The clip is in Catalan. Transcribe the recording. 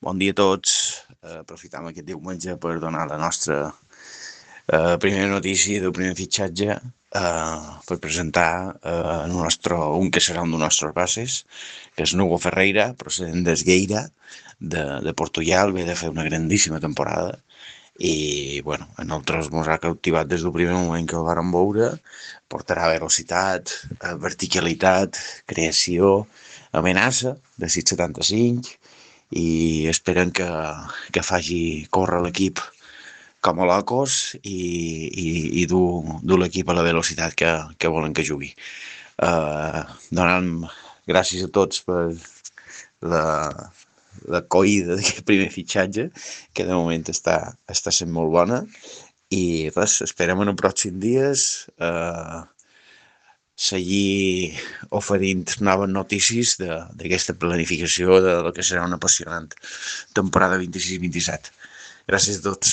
Bon dia a tots. Aprofitam aquest diumenge per donar la nostra primera notícia del primer fitxatge per presentar un que serà un dels nostres bases, que és Nugo Ferreira, procedent d'Esgueira, de Portugal. Ve de fer una grandíssima temporada i bueno, a nosaltres ens ha captivat des del primer moment que el vàrem veure. Portarà velocitat, verticalitat, creació, amenaça de 6,75 i esperen que faci córrer l'equip com a locos i dur l'equip a la velocitat que volen que jugui. Donant gràcies a tots per la, la coïda d'aquest primer fitxatge, que de moment està sent molt bona, i res, esperem en els pròxims dies seguir oferint noves notícies d'aquesta planificació de lo que serà una apassionant temporada 26-27. Gràcies a tots.